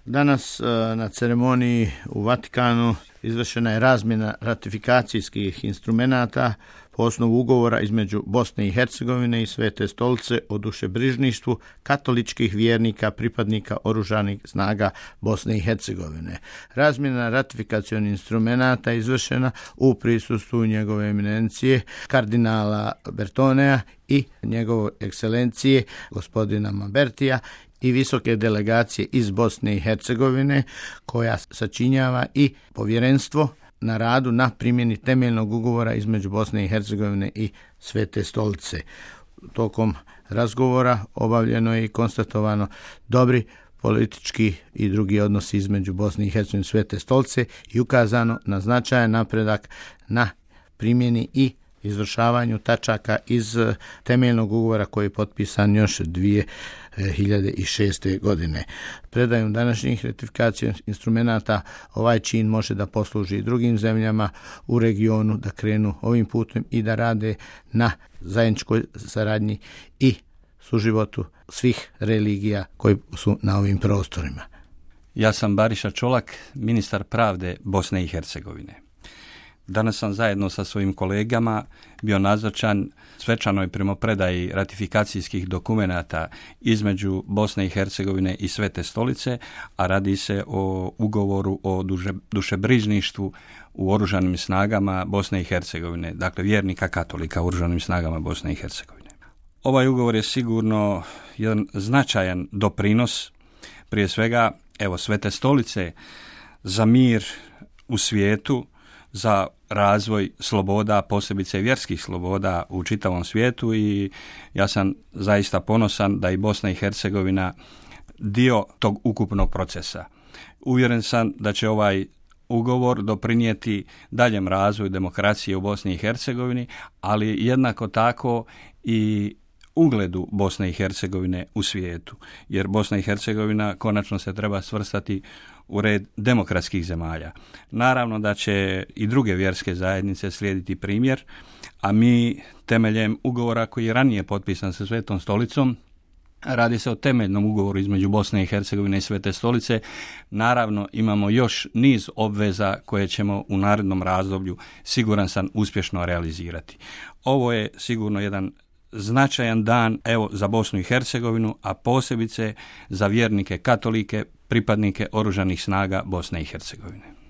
Danas na ceremoniji u Vatikanu izvršena je razmjena ratifikacijskih instrumenata po osnovu ugovora između Bosne i Hercegovine i Svete stolice o dušebrižništvu katoličkih vjernika pripadnika oružanih snaga Bosne i Hercegovine. Razmjena ratifikacionih instrumenata izvršena u prisustvu njegove eminencije kardinala Bertonea i njegove ekscelencije gospodina Mambertija i visoke delegacije iz Bosne i Hercegovine koja sačinjava i povjerenstvo na radu na primjeni temeljnog ugovora između Bosne i Hercegovine i Svete stolice. Tokom razgovora obavljeno je i konstatovano dobri politički i drugi odnosi između Bosne i Hercegovine i Svete stolice i ukazano na značajan napredak na primjeni i izvršavanju tačaka iz temeljnog ugovora koji je potpisan još 2006. godine. Predajom današnjih ratifikacijskih instrumenata ovaj čin može da posluži i drugim zemljama u regionu da krenu ovim putem i da rade na zajedničkoj saradnji i suživotu svih religija koji su na ovim prostorima. Ja sam Bariša Čolak, ministar pravde Bosne i Hercegovine. Danas sam zajedno sa svojim kolegama bio nazočan svečanoj primopredaji ratifikacijskih dokumenata između Bosne i Hercegovine i Svete stolice, a radi se o ugovoru o dušebrižništvu u oružanim snagama Bosne i Hercegovine, dakle vjernika katolika u oružanim snagama Bosne i Hercegovine. Ovaj ugovor je sigurno jedan značajan doprinos, prije svega Svete stolice za mir u svijetu, za razvoj sloboda, posebice vjerskih sloboda u čitavom svijetu, i ja sam zaista ponosan da i Bosna i Hercegovina dio tog ukupnog procesa. Uvjeren sam da će ovaj ugovor doprinijeti daljem razvoju demokracije u Bosni i Hercegovini, ali jednako tako i ugledu Bosne i Hercegovine u svijetu, jer Bosna i Hercegovina konačno se treba svrstati u red demokratskih zemalja. Naravno da će i druge vjerske zajednice slijediti primjer, a mi temeljem ugovora koji je ranije potpisan sa Svetom stolicom, radi se o temeljnom ugovoru između Bosne i Hercegovine i Svete stolice, naravno imamo još niz obveza koje ćemo u narednom razdoblju, siguran sam, uspješno realizirati. Ovo je sigurno jedan značajan dan za Bosnu i Hercegovinu, a posebice za vjernike katolike, pripadnike oružanih snaga Bosne i Hercegovine.